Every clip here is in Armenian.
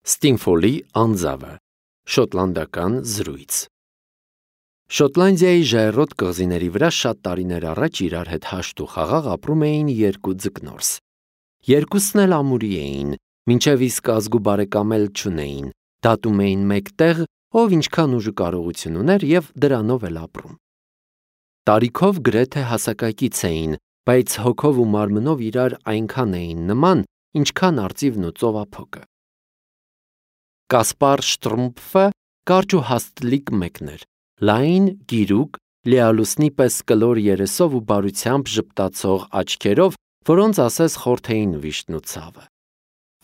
Ստինֆոլի անձավը, շոտլանդական զրույց։ Շոտլանդիայի ժայռոտ կղզիների վրա շատ տարիներ առաջ իրար հետ հաշտ ու խաղաղ ապրում էին երկու ձկնորս։ Երկուսն էլ ամուրի էին, մինչև իսկ ազգու բարեկամել չունեին, դատում էին մեկտեղ, ով ինչքան ուժ ու կարողություն ուներ և դրանով էլ ապրում։ Տարիքով գրեթե հասակակից էին, բայց հոգով ու մարմնով իրար այնքան էին նման, ինչքան արծիվն ու ծովափոկը։ Կասպար Շտրումփը կարճ ու հաստլիկ մեկն էր, լայն, գիրուկ, լիալուսնի պես կլոր երեսով ու բարությամբ ժպտացող աչքերով, որոնց ասես խորթեին վիշտն ու ցավը։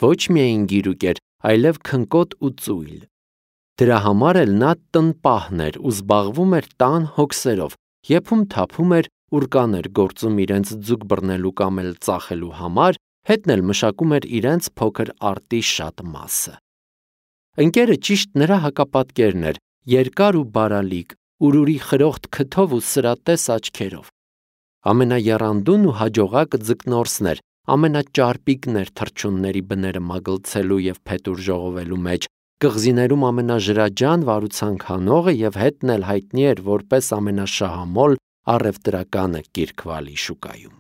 Ոչ միայն գիրուկ էր, այլև քնկոտ ու ծույլ։ Դրա համար էլ նա տնպահն էր ու զբաղվում էր տան հոգսերով, եփում-թափում էր, ուռկան էր գործում իրենց ձուկ բռնելու կամ էլ ծախելու համար, հետն էլ մշակում էր իրենց փոքր արտի շատ մասը։ Ընկերը ճիշտ նրա հակապատկերն էր, երկար ու բարալիկ, ուրուրի խրոխտ քթով ու սրատես աչքերով։ Ամենաեռանդուն ու հաջողակ ձկնորսն էր, ամենաճարպիկն էր թռչունների բները մագլցելու և փետուր ժողովելու մեջ, կղզիներում ամենաժրաջան վարուցանք հանողը և հետն էլ հայտնի էր որպես ամենաշահամոլ առևտրականը Կիրքվալի շուկայում։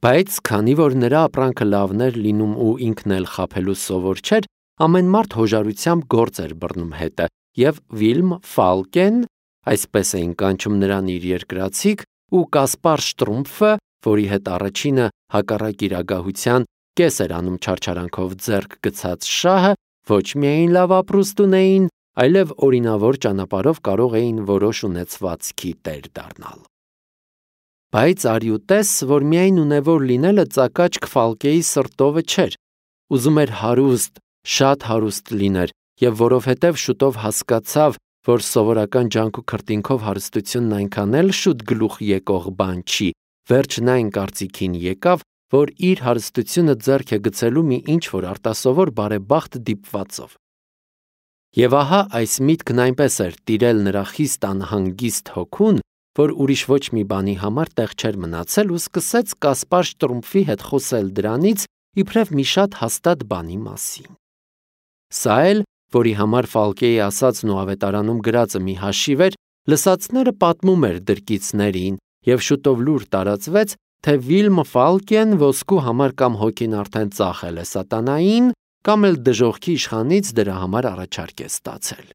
Բայց քանի որ նրա ապրանքը լավն էր լինում ու ինքն էլ խաբելու սովոր չէր, ամեն մարդ հոժարությամբ գործ էր բռնում հետը, և Վիլմ Ֆալկեն, այսպես էին կանչում նրան իր երկրացիք, ու Կասպար Շտրումփը, որի հետ առաջինը հակառակ իր ագահության կես էր անում չարչարանքով ձեռք գցած շահը, ոչ միայն լավ ապրուստ ունեին, այլև օրինավոր ճանապարհով կարող էին որոշ ունեցվածքի տեր դառնալ։ Բայց արի ու տես, որ միայն ունևոր լինելը ծակաճ Ֆալկեի սրտովը չէր, ուզում էր հարուստ, շատ հարուստ լիներ, և որովհետև շուտով հասկացավ, որ սովորական ջանք ու քրտինքով հարստությունն այնքան էլ շուտ գլուխ եկող բան չի, վերջն այն կարծիքին եկավ, որ իր հարստությունը ձեռք է գցելու մի ինչ-որ արտասովոր բարեբախտ դիպվածով։ Եվ ահա այս միտքն այնպես էր տիրել նրա խիստ անհանգիստ հոգուն, որ ուրիշ ոչ մի բանի համար տեղ չէր մնացել ու սկսեց Կասպար Շտրումփի հետ խոսել դրանից, իբրև մի շատ հաստատ բանի մասին։ Սա էլ, որի համար Ֆալկեի ասածն ու ավետարանում գրածը մի հաշիվ էր, լսածները պատմում էր դրկիցներին, և շուտով լուր տարածվեց, թե Վիլմ Ֆալկեն ոսկու համար կամ հոգին արդեն ծախել է սատանային, կամ էլ դժոխքի իշխանից դրա համար առաջարկ է ստացել։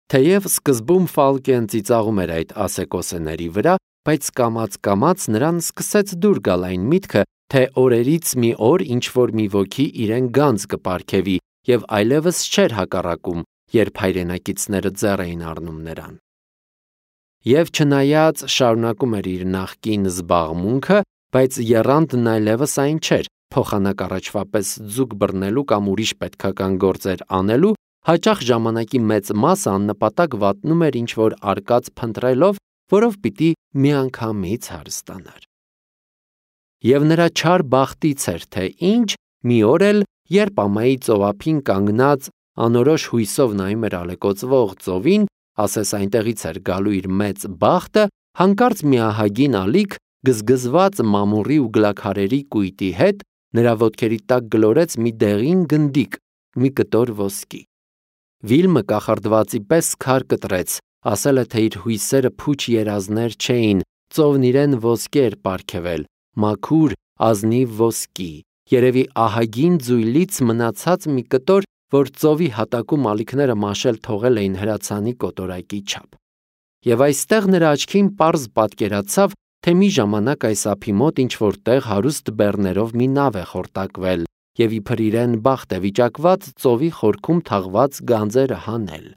Թեև սկզբում Ֆալկեն ծիծաղում էր այդ ասեկոսեների վրա, բայց կամաց-կամաց նրան սկսեց դուր գալ այն միտքը, թե օրերից մի օր ինչ-որ մի ոգի իրեն գանձ կպարգևի և այլևս չէր հակառակում, երբ հայրենակիցները ձեռ էին առնում նրան։ Եվ չնայած շարունակում էր իր նախկին զբաղմունքը, բայց եռանդն այլևս այն չէր, փոխանակ առաջվա պես ձուկ բռնելու կամ ուրիշ պետքական գործեր անելու, հաճախ ժամանակի մեծ մասը աննպատակ վատնում էր ինչ-որ արկած փնտրելով, որով պիտի միանգամից հարստանար։ Եվ նրա չար բախտից էր, թե ինչ, մի օր էլ, երբ ամայի ծովափին կանգնած անորոշ հույսով նայում էր ալեկոծվող ծովին, ասես այնտեղից էր գալու իր մեծ բախտը, հանկարծ մի ահագին ալիք, գզգզված մամուռի ու գլաքարերի կույտի հետ, նրա ոտքերի տակ գլորեց մի դեղին գնդիկ, մի կտոր ոսկի։ Վիլմը կախարդվածի պես քար կտրեց, ասել է, թե իր հույսերը փուչ երազներ չէին, ծովն իրեն ոսկի էր պարգևել, մաքուր, ազնիվ ոսկի, երևի ահագին ձույլից մնացած մի կտոր, որ ծովի հատակում ալիքները մաշել թողել էին հրացանի կոտորակի չափ։ Եվ այստեղ նրա աչքին պարզ պատկերացավ, թե մի ժամանակ այս ափի մոտ ինչ-որ տեղ հարուստ բեռներով մի նավ է խորտակվել, և իբր իրեն բախտ է վիճակված ծովի խորքում թաղված գանձերը հանել։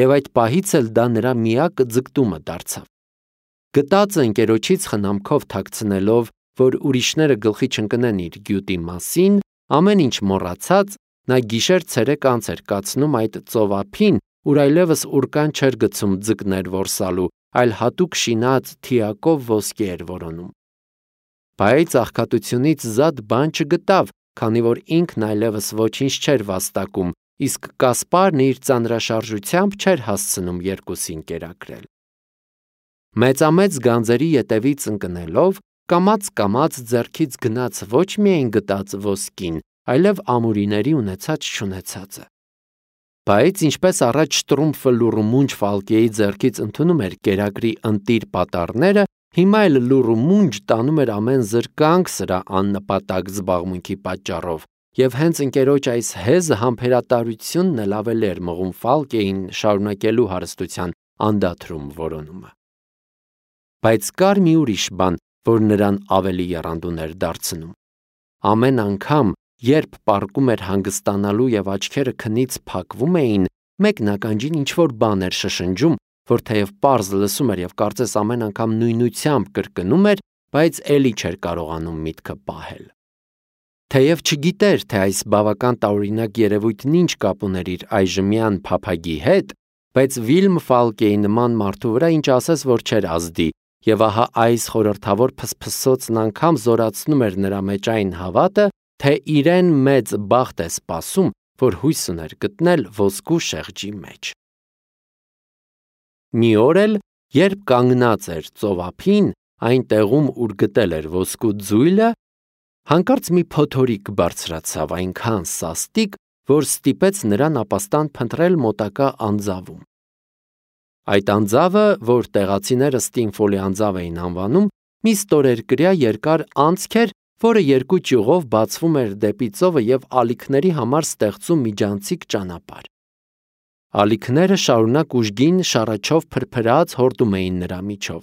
Եվ այդ պահից էլ դա նրա միակ ձգտումը դարձավ։ Գտածը ընկերոջից խնամքով թաքցնելով, որ ուրիշները գլխի չընկնեն իր գյուտի մասին, ամեն ինչ մոռացած, նա գիշեր-ցերեկ անց էր կացնում այդ ծովափին, ուր այլևս ուռկան չէր գցում ձկներ որսալու, այլ հատուկ շինած թիակով ոսկի էր որոնում։ Բայց աղքատությունից զատ բան չգտավ, քանի որ ինքն այլևս ոչինչ չէր վաստակում, իսկ Կասպարն իր ծանրաշարժությամբ չէր հասցնում երկուսին կերակրել։ Մեծամեծ գանձերի ետևից ընկնելով, կամաց-կամաց ձեռքից գնաց ոչ միայն գտած ոսկին, այլև ամուրիների ունեցած չունեցածը։ Բայց ինչպես առաջ Շտրումֆը լուռ ու մունջ Ֆալկեի ձեռքից ընդունում էր կերակրի ընտիր պատառները, հիմա էլ լուռ ու մունջ տանում էր ամեն զրկանք սրա աննպատակ զբաղմունքի պատճառով, եւ հենց ընկերոջ այս հեզը համբերատարությունն էլ ավելի էր մղում Ֆալկեին շարունակելու հարստության անդադրում որոնումը։ Բայց կար մի ուրիշ բան, որ նրան ավելի եռանդուն էր դարձնում։ Ամեն անգամ, երբ պառկում էր հանգստանալու եւ աչքերը քնից փակվում էին, մեկն ականջին ինչ-որ բան էր շշնջում, որ թեև պարզ լսում էր եւ կարծես ամեն անգամ նույնությամբ կրկնում էր, բայց էլի չէր կարողանում միտքը պահել։ Թեև չգիտեր, թե այս բավական տարօրինակ երևույթն ինչ կապ ուներ իր այժմյան փափագի հետ, բայց Վիլմ Ֆալկեի նման մարդու վրա ինչ ասես որ չէր ազդի, եւ ահա այս խորհրդավոր փսփսոցն անգամ զորացնում էր նրա մեջ այն հավատը, թե իրեն մեծ բախտ է սպասում, որ հույս ուներ գտնել ոսկու շեղջի մեջ։ Մի օր էլ, երբ կանգնած էր ծովափին, այն տեղում, ուր գտել էր ոսկու ձույլը, հանկարծ մի փոթորիկ բարձրացավ այնքան սաստիկ, որ ստիպեց նրան ապաստան փնտրել մոտակա անձավում։ Այդ անձավը, որ տեղացիները Ստինֆոլի անձավ էին անվանում, մի ստորերկրյա երկար անցք էր, որը երկու ճյուղով բացվում էր դեպի ծովը եւ ալիքների համար ստեղծում միջանցիկ ճանապարհ։ Ալիքները շարունակ ուժգին շառաչով փրփրած հորդում էին նրա միջով։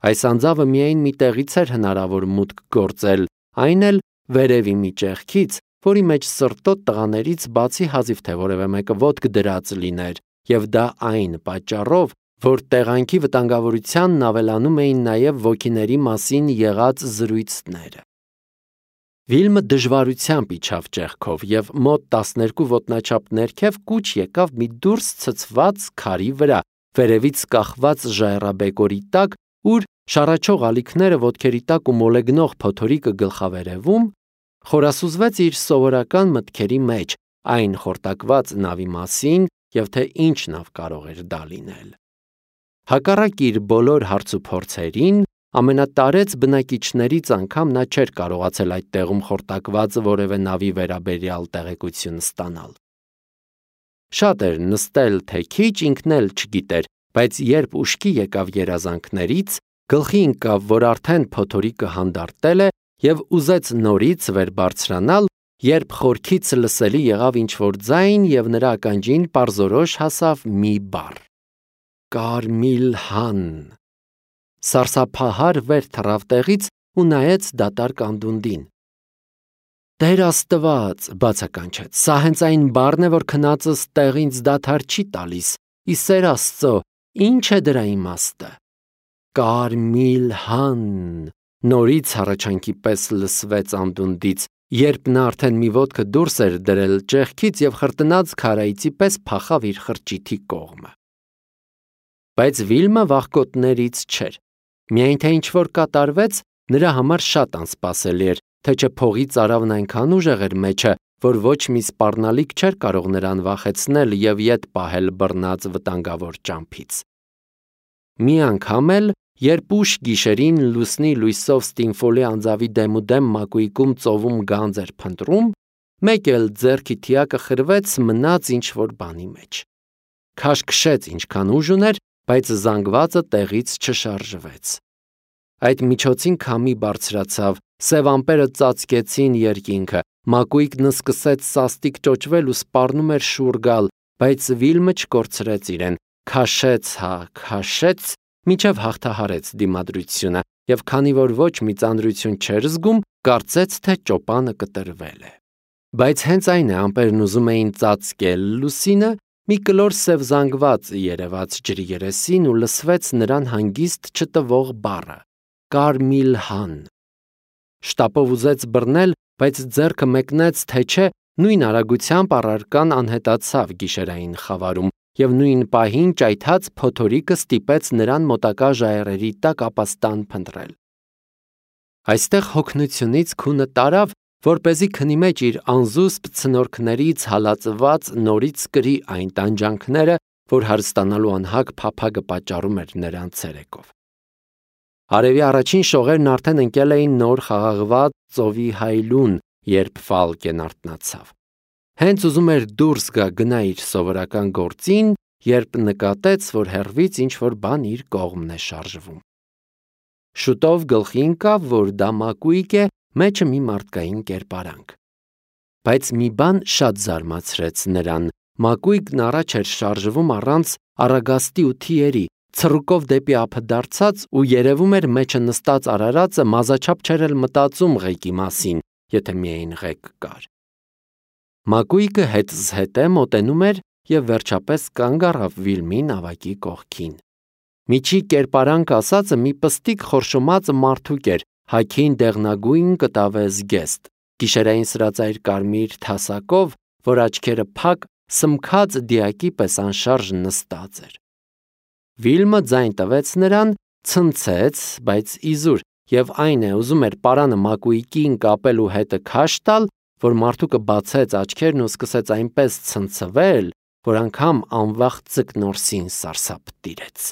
Այս անձավը միայն մի տեղից էր հնարավոր մուտք գործել, այն էլ վերևի մի ճեղքից, որի մեջ սրտոտ տղաներից բացի հազիվ թե որևէ մեկը ոտք դրած լիներ, եւ դա այն պատճառով, որ տեղանքի վտանգավորությանն ավելանում էին նաեւ ոգիների մասին եղած զրույցները։ Վիլմը դժվարությամբ իջավ ճեղքով եւ մոտ 12 ոտնաչափ ներքև կուչ եկավ մի դուրս ցցված քարի վրա, վերևից կախված ժայռաբեկորի տակ, ուր շառաչող ալիքները ոտքերի տակ ու մոլեգնող փոթորիկը գլխավերևում, խորասուզվեց իր սովորական մտքերի մեջ, այն խորտակված նավի մասին եւ թե ինչ նավ կարող էր դա լինել։ Հակառակ իր բոլոր հարցուփորձերին, ամենատարեց բնակիչներից անգամ նա չէր կարողացել այդ տեղում խորտակված որևէ նավի վերաբերյալ տեղեկություն ստանալ։ Շատ էր նստել թե քիչ ինքն էլ չգիտեր, բայց երբ ուշքի եկավ երազանքներից, գլխի ընկավ, որ արդեն փոթորիկը հանդարտել է եւ ուզեց նորից վեր բարձրանալ, երբ խորքից լսելի եղավ ինչ-որ ձայն եւ նրա ականջին պարզորոշ հասավ մի բառ. Կարմիլհան։ Սարսափահար վեր թռավ տեղից ու նայեց դատարկ անդունդին։ Տեր Աստված, բացականչեց, սա հենց այն բառն է, որ քնածս տեղինց դադար չի տալիս, ի սեր Աստծո, ինչ է դրա իմաստը։ Կարմիլհան, նորից հառաչանքի պես լսվեց անդունդից, երբ նա արդեն մի ոտքը դուրս էր դրել ճեղքից եւ խրտնած քարայցի պես փախավ իր խրճիթի կողմը։ Բայց Վիլմը վախկոտներից չէր։ Միայն թե ինչ-որ կատարվեց, նրա համար շատ անսպասելի էր, թե չէ փողի ծարավն այնքան ուժեղ էր մեջը, որ ոչ մի սպառնալիք չէր կարող նրան վախեցնել եւ ետ պահել բռնած վտանգավոր ճամփից։ Մի անգամ էլ, երբ ուշ գիշերին լուսնի լույսով Ստինֆոլի անձավի դեմուդեմ մակույկում ծովում գանձ էր փնտրում, մեկ էլ ձեռքի թիակը խրվեց մնաց ինչ-որ բանի մեջ։ Քաշքշեց ինչքան ուժ ուներ, բայց զանգվածը տեղից չշարժվեց։ Այդ միջոցին քամի բարձրացավ, սև ամպերը ծածկեցին երկինքը, մակույկն սկսեց սաստիկ ճոճվել ու սպառնում էր շուռ գալ, բայց Վիլմը չկորցրեց իրեն, քաշեց, մինչև հաղթահարեց դիմադրությունը, եւ քանի որ ոչ մի ծանրություն չէր զգում, կարծեց, թե ճոպանը կտրվել է։ Բայց հենց այն է, ամպերն ուզում էին ծածկել լուսինը, մի կլոր սև զանգված երևաց ջրի երեսին ու լսվեց նրան հանգիստ չտվող բառը. Կարմիլհան։ Շտապով ուզեց բռնել, բայց ձեռքը մեկնեց, թե չէ, նույն արագությամբ առարկան անհետացավ գիշերային խավարում, եւ նույն պահին ճայթած փոթորիկը ստիպեց նրան մոտակա ժայռերի տակ ապաստան փնտրել։ Այստեղ հոգնությունից քունը տարավ, որպեսզի քնի մեջ իր անզուսպ ցնորքներից հալածված նորից կրի այն տանջանքները, որ հարստանալու անհագ փափագը պատճառում էր նրան ցերեկով։ Արևի առաջին շողերն արդեն ընկել էին նոր խաղաղված ծովի հայլուն, երբ Ֆալկեն արթնացավ։ Հենց ուզում էր դուրս գա գնա իր սովորական գործին, երբ նկատեց, որ հեռվից ինչ-որ բան իր կողմն է շարժվում։ Շուտով գլխի ընկավ, որ դա մակույկ է, մեջը մի մարդկային կերպարանք։ Բայց մի բան շատ զարմացրեց նրան. մակույկն առաջ էր շարժվում առանց առագաստի ու թիերի, ցռուկով դեպի ափը դարձած ու երևում էր մեջը նստած արարածը մազաչափ չէր էլ մտածում ղեկի մասին, եթե միայն ղեկ կար։ Մակույկը հետզհետե մոտենում էր և վերջապես կանգ առավ Վիլմի նավակի կողքին։ Միջի կերպարանք ասածը մի պստիկ խորշոմած մարդուկ էր, հագին դեղնագույն կտավե զգեստ, գիշերային սրածայր կարմիր թասակով, որ աչքերը փակ, սմքած դիակի պես անշարժ նստած էր։ Վիլմը ձայն տվեց նրան, ցնցեց, բայց իզուր, և այն է, ուզում էր պարանը մակույկին կապել ու հետը քաշ տալ, որ մարդուկը բացեց աչքերն ու սկսեց այնպես ցնցվել, որ անգամ անվախ ձկնորսին սարսափ տիրեց։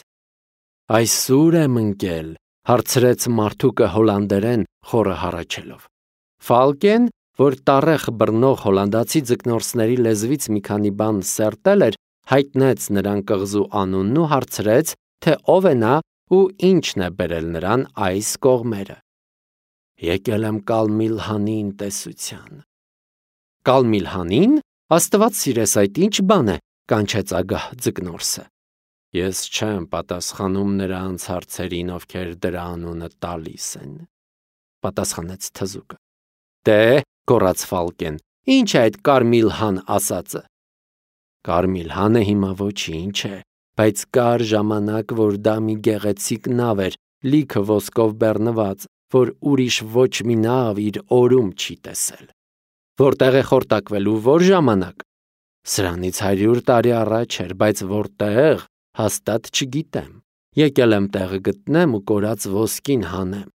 «Այսուր եմ ընկել», հարցրեց մարդուկը հոլանդերեն խորը հառաչելով։ Ֆալկեն, որ տառեխ բռնող հոլանդացի ձկնորսների լեզվից մի քանի բան սերտել էր, հայտնեց նրան կղզու անունն ու հարցրեց, թե ով է նա ու ինչն է բերել նրան այս կողմերը։ «Եկել եմ Կալմիլհանին տեսության»։ «Կալմիլհանին, Աստված սիրես, այդ ինչ բան է», կանչեց ագահ ձկնորսը։ «Ես չեմ պատասխանում նրանց հարցերին, ովքեր դրա անունը տալիս են», պատասխանեց թզուկը։ «Դե», գոռաց Ֆալկեն, «ինչ է այդ Կարմիլհան ասածը»։ «Կարմիլհանը հիմա ոչինչ է, բայց կար ժամանակ, որ դա մի գեղեցիկ նավ էր, լիքը ոսկով բեռնված, որ ուրիշ ոչ մի նավ իր օրում չի տեսել»։ «Որտեղ է խորտակվել ու որ ժամանակ»։ «Սրանից 100 տարի առաջ էր, բայց որտեղ, հաստատ չգիտեմ։ Եկել եմ տեղը գտնեմ ու կորած ոսկին հանեմ։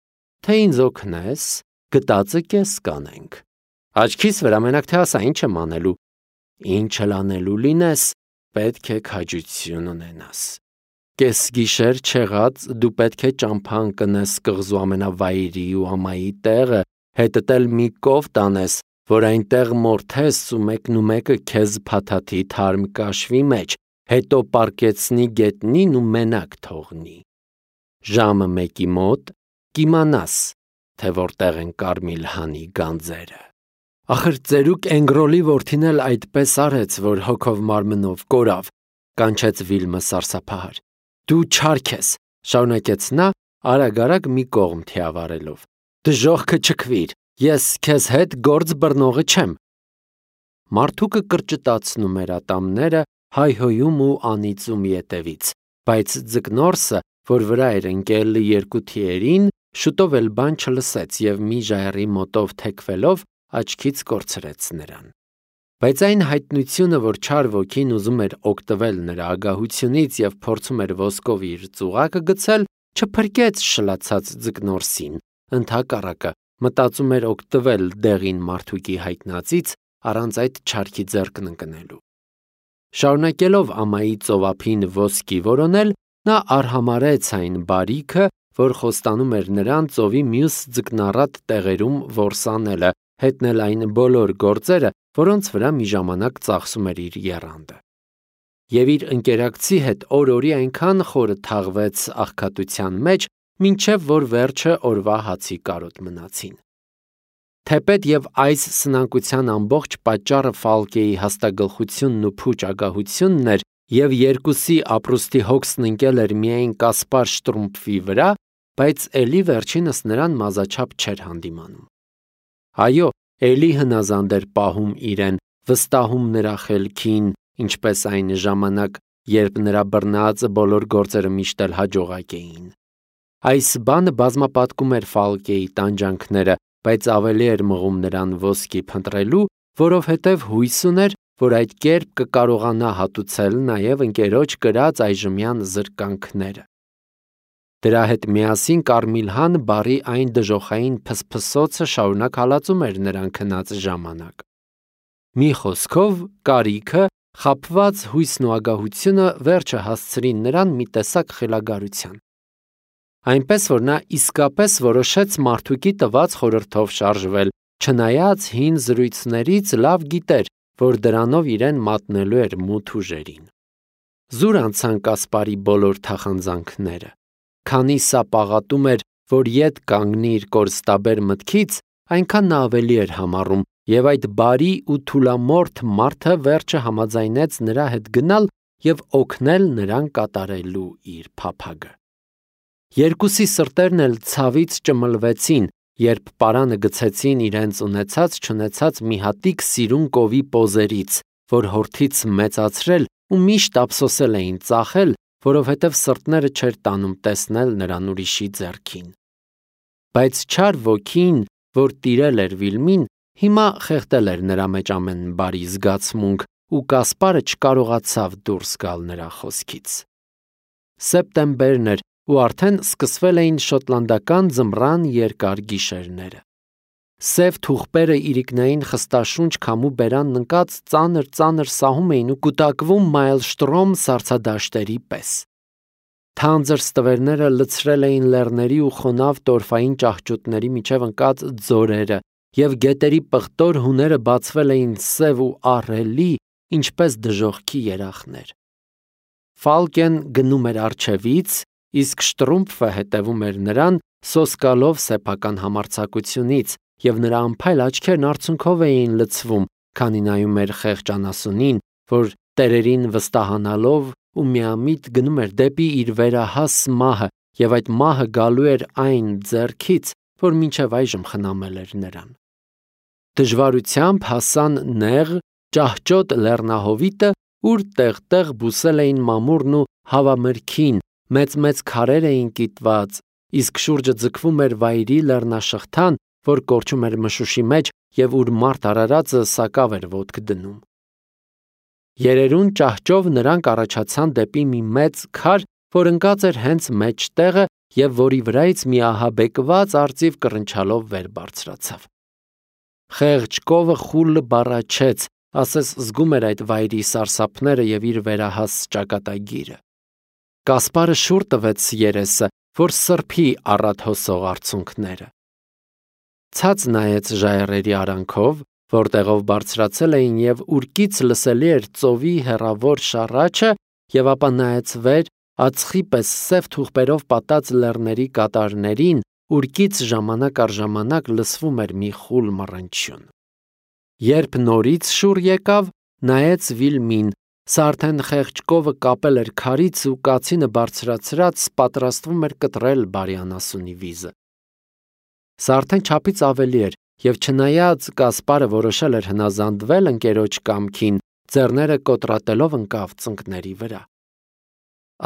Թե ինձ օգնես, գտածը կես կանենք։ Աչքիս վրա մենակ թե ասա, ինչ եմ անելու։ Ինչ էլ անելու լինես, պետք է քաջություն ունենաս։ Կեսգիշեր չեղած դու պետք է ճամփա ընկնես կղզու ամենավայրի ու ամայի տեղը, հետդ էլ մի կով տանես, որ այնտեղ մորթես ու մեկը քեզ փաթաթի թարմ կաշվի մեջ, հետո պառկեցնի գետնին ու մենակ թողնի։ Ժամը 1-ի մոտ կիմանաս, թե որտեղ են Կարմիլհանի գանձերը։ Ախր ծերուկ Էնգրոլի որդին էլ այդպես արեց, որ հոգով մարմնով կորավ, կանչեց Վիլմը սարսափահար։ Դու չարք ես, շարունակեց նա, արագ մի կողմ թիավարելով։ Դժոխքը չքվիր, ես քեզ հետ գործ բռնողը չեմ։ Մարդուկը կրճտացնում էր ատամները, հայհոյում ու անիծում ետևից, բայց ձկնորսը, որ վրա էր ընկել երկու թիերին, շուտով էլ բան չլսեց և մի ժայռի մոտով թեքվելով աչքից կորցրեց նրան։ Բայց այն հայտնությունը, որ չար ոգին ուզում էր օգտվել նրա ագահությունից և փորձում էր ոսկով իր ծուղակը գցել, չփրկեց շլացած ձկնորսին, ընդհակառակը մտածում էր օգտվել դեղին մարդուկի հայտնածից առանց այդ չարքի ձեռքն ընկնելու։ Շարունակելով ամայի ծովափին ոսկի որոնել, նա արհամարհեց այն բարիքը, որ խոստանում էր նրան ծովի մյուս ձկնառատ տեղերում որսանելը, հետնել այն բոլոր գործերը, որոնց վրա մի ժամանակ ծախսում էր իր եռանդը։ Եվ իր ընկերակցի հետ օր-օրի այնքան խորը թաղվեց աղքատության մեջ, մինչև որ վերջը օրվա հացի կարոտ մնացին։ Թեպետ և այս սնանկության ամբողջ պատճառը Ֆալկեի հաստագլխությունն ու փուչ ագահությունն էր, և երկուսի ապրուստի հոգսն ընկել էր միայն Կասպար Շտրումփի վրա, բայց էլի վերջինս նրան մազաչափ չէր հանդիմանում։ Այո, էլի հնազանդ էր պահում իրեն, վստահում նրա խելքին, ինչպես այն ժամանակ, երբ նրա բռնած բոլոր գործերը միշտ էլ հաջողակ էին։ Այս բանը բազմապատկում էր Ֆալկեի տանջանքները, բայց ավելի էր մղում նրան ոսկի փնտրելու, որովհետև հույս ուներ, որ այդ կերպ կկարողանա հատուցել նաև ընկերոջ կրած այժմյան զրկանքները։ Դրա հետ միասին Կարմիլհան բառի այն դժոխային փսփսոցը շարունակ հալածում էր նրան քնած ժամանակ։ Մի խոսքով, կարիքը, խաբված հույսն ու ագահությունը վերջը հասցրին նրան մի տեսակ խելագարության։ Այնպես որ նա իսկապես որոշեց մարդուկի տված խորհրդով շարժվել, չնայած հին զրույցներից լավ գիտեր, որ դրանով իրեն մատնելու էր մութ ուժերին։ Զուր անցան Կասպարի բոլոր թախանձանքները։ Քանի սա պաղատում էր, որ ետ կանգնի իր կորստաբեր մտքից, այնքան նա ավելի էր համառում, եւ այդ բարի ու թուլամորթ մարդը վերջը համաձայնեց նրա հետ գնալ եւ օգնել նրան կատարելու իր փափագը։ Երկուսի սրտերն էլ ցավից ճմլվեցին, երբ պարանը գցեցին իրենց ունեցած-չունեցած մի հատիկ սիրուն կովի պոզերից, որ հորթից մեծացրել ու միշտ ափսոսել էին ծախել, որովհետև սրտները չէր տանում տեսնել նրան ուրիշի ձեռքին։ Բայց չար ոգին, որ տիրել էր Վիլմին, հիմա խեղդել էր նրա մեջ ամեն բարի զգացմունք, ու Կասպարը չկարողացավ դուրս գալ նրա խոսքից։ Սեպտեմբերն էր, ու արդեն սկսվել էին շոտլանդական ձմռան երկար գիշերները։ Սև թուղպերը իրիկնային խստաշունչ քամու բերան ընկած ծանր սահում էին ու կուտակվում մայլշտրոմ սառցադաշտերի պես։ Թանձր ստվերները լցրել էին լեռների ու խոնավ տորֆային ճահճուտների միջև ընկած ձորերը, և գետերի պղտոր հուները բացվել էին սև ու ահռելի, ինչպես դժոխքի երախներ։ Ֆալկեն գնում էր առջևից, իսկ Շտրումփը հետևում էր նրան, սոսկալով սեփական համարձակությունից, և նրա անփայլ աչքերն արցունքով էին լցվում, քանի նայում էր խեղճ անասունին, որ տերերին վստահանալով ու միամիտ գնում էր դեպի իր վերահաս մահը, և այդ մահը գալու էր այն ձեռքից, որ մինչև այժմ խնամել էր նրան։ Դժվարությամբ հասան նեղ, ճահճոտ լեռնահովիտը, ուր տեղ-տեղ բուսել էին մամուրն ու հավամրգին, մեծ քարեր էին կիտված, իսկ շուրջը ձգվում էր վայրի լեռնաշղթան, որ կորչում էր մշուշի մեջ և ուր մարդ արարածը սակավ էր ոտք դնում։ Երերուն ճահճով նրանք առաջացան դեպի մի մեծ քար, որ ընկած էր հենց մեջտեղը և որի վրայից մի ահաբեկված արծիվ կռնչալով վեր բարձրացավ։ Խեղճ կովը խուլ բառաչեց, ասես զգում էր այդ վայրի սարսափները և իր վերահաս ճակատագիրը։ Կասպարը շուռ տվեց երեսը, որ սրբի առատ հոսող արցունքները։ Ցած նայեց ժայռերի արանքով, որտեղով բարձրացել էին և ուրկից լսելի էր ծովի հեռավոր շառաչը, և ապա նայեց վեր, ածխի պես սև թուղպերով պատած լեռների կատարներին, ուրկից ժամանակ առ ժամանակ լսվում էր մի խուլ մռնչյուն։ Երբ նորից շուռ եկավ, նայեց Վիլմին, սա արդեն խեղճ կովը կապել էր քարից ու կացինը բարձրացրած պատրաստվում էր կտրել բարի անասունի վիզը։ Սա արդեն չափից ավելի էր, և չնայած Կասպարը որոշել էր հնազանդվել ընկերոջ կամքին, ձեռները կոտրատելով ընկավ ծնկների վրա։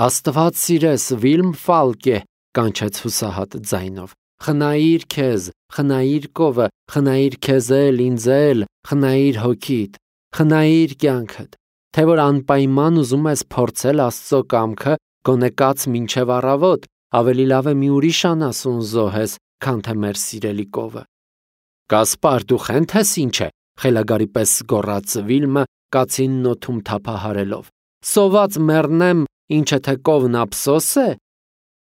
Աստված սիրես, Վիլմ Ֆալկե, կանչեց հուսահատ ձայնով, խնայիր քեզ, խնայիր կովը, խնայիր քեզ էլ, ինձ էլ, խնայիր հոգիդ, խնայիր կյանքդ, թե որ անպայման ուզում ես փորձել Աստծո կամքը, գոնե կաց մինչև առավոտ, ավելի լավ է մի ուրիշ անասուն զոհես, քան թե մեր սիրելի կովը։ Կասպար, դու խենթ ես ինչ է, խելագարի պես գոռաց Վիլմը կացինն օդում թափահարելով։ Սոված մեռնեմ, ինչը թե կովն ափսոս է։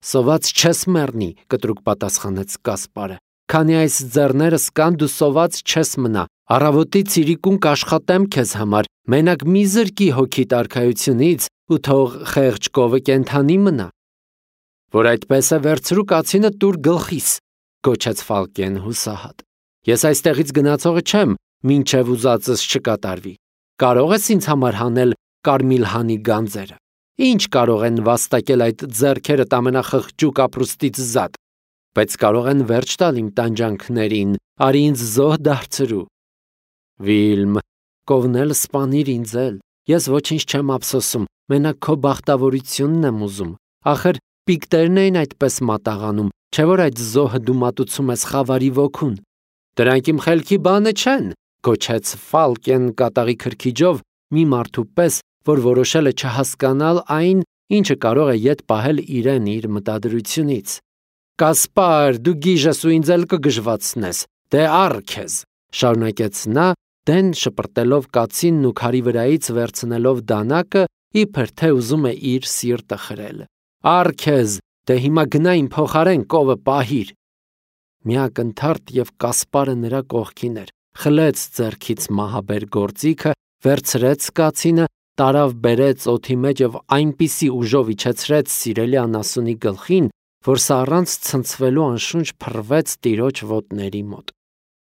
Սոված չես մեռնի, կտրուկ պատասխանեց Կասպարը, քանի այս ձեռներս կան, դու սոված չես մնա, առավոտից իրիկուն կաշխատեմ քեզ համար, մենակ մի զրկի հոգիդ արքայությունից ու թող խեղճ կովը կենդանի մնա։ Որ այդպես է, վերցրու կացինը տուր գլխիս, գոչեց Ֆալկեն հուսահատ։ Ես այստեղից գնացողը չեմ, մինչև ուզածս չկատարվի։ Կարող ես ինձ համար հանել կարմիլհանի գանձերը։ Ինչ կարող են վաստակել այդ ձեռքերդ ամենախղճուկ ապրուստից զատ, բայց կարող են վերջ տալ իմ տանջանքներին, արի ինձ զոհ դարձրու։ Վիլմ, կովնել սպանիր ինձ էլ, ես ոչինչ չեմ ափսոսում, մենակ քո բախտավորությունն եմ ուզում, ախր պիկտերն էին այդպես մատաղանում, չէ որ այդ զոհը դու մատուցում ես խավարի ոգուն։ Դրանք իմ խելքի բանը չեն, գոչեց Ֆալկեն կատաղի քրքիջով մի մարդու պես, որ որոշել է չհասկանալ այն, ինչը կարող է ետ պահել իրեն իր մտադրությունից։ Կասպար, դու գիժ ես ու ինձ էլ կգժվացնես, դե առ քեզ, շարունակեց նա, դեն շպրտելով կացինն ու քարի վրայից վերցնելով դանակը, իբր թե ուզում է իր սիրտը խրել։ Առ քեզ, դե հիմա գնա իմ փոխարեն կովը պահիր։ միակնթարթ եւ Կասպարը նրա կողքին էր, խլեց ձեռքից մահաբեր գործիքը, վերցրեց կացինը, տարավ բերեց օդի մեջ եւ այնպիսի ուժով իջեցրեց սիրելի անասունի գլխին, որ սա առանց ցնցվելու անշունչ փռվեց տիրոջ ոտների մոտ։